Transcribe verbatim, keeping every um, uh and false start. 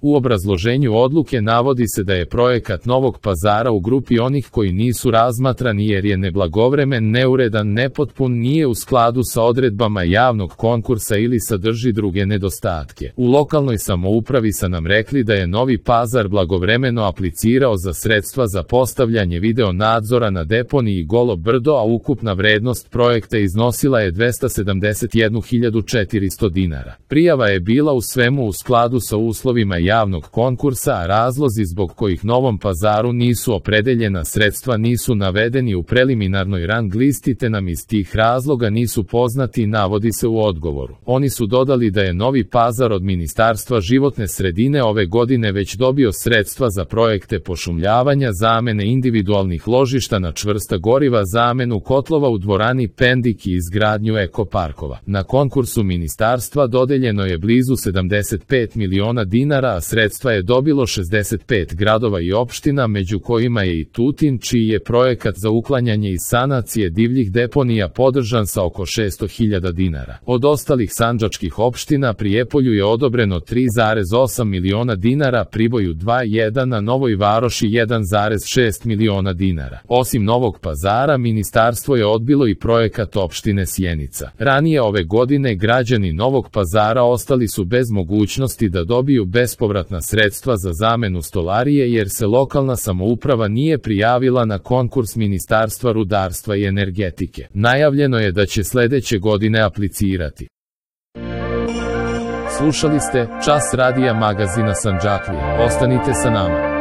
U obrazloženju odluke navodi se da je projekat Novog Pazara u grupi onih koji nisu razmatrani jer je neblagovremen, neuredan, nepotpun, nije u skladu sa odredbama javnog konkursa ili sadrži druge nedostatke. U lokalnoj samoupravi su nam rekli da je Novi Pazar blagovremeno aplicirao za sredstva za postavljanje video nadzora na deponiji Golo Brdo, a ukupna vrednost projekta iznosila je dvesta sedamdeset jednu hiljadu četiristo dinara. Prijava je bila u svemu u skladu sa uslovima javnog konkursa, a razlozi zbog kojih Novom Pazaru nisu opredeljena sredstva nisu navedeni u preliminarnoj rang listi, te nam iz tih razloga nisu poznati, navodi se u odgovoru. Oni su dodali da je Novi Pazar od Ministarstva životne sredine ove godine već dobio sredstva za projekte pošumljavanja, zamene individualnih ložišta na čvrsta goriva, zamenu kotlova u dvorani Pendik i izgradnju ekoparkova. Na konkursu ministarstva dodeljeno je blizu sedamdeset pet miliona dinara, a sredstva je dobilo šezdeset pet gradova i opština, među kojima je i Tutin, čiji je projekat za uklanjanje i sanacije divljih deponija podržan sa oko šesto hiljada dinara. Od ostalih sandžačkih opština Prijepolju je odobreno tri zarez osam miliona dinara, Priboju dva zarez jedan, a Novoj Varoši jedan zarez šest miliona dinara. Osim Novog Pazara, ministarstvo je odbilo i projekat opštine Sjenica. Ranije ove godine građani Novog Pazara ostali su bez mogućnosti da dobiju bespovratna sredstva za zamenu stolarije jer se lokalna samouprava nije prijavila na konkurs Ministarstva rudarstva i energetike. Najavljeno je da će sledeće godine aplicirati. Slušali ste Čas radija magazina Sandžaklija. Ostanite sa nama.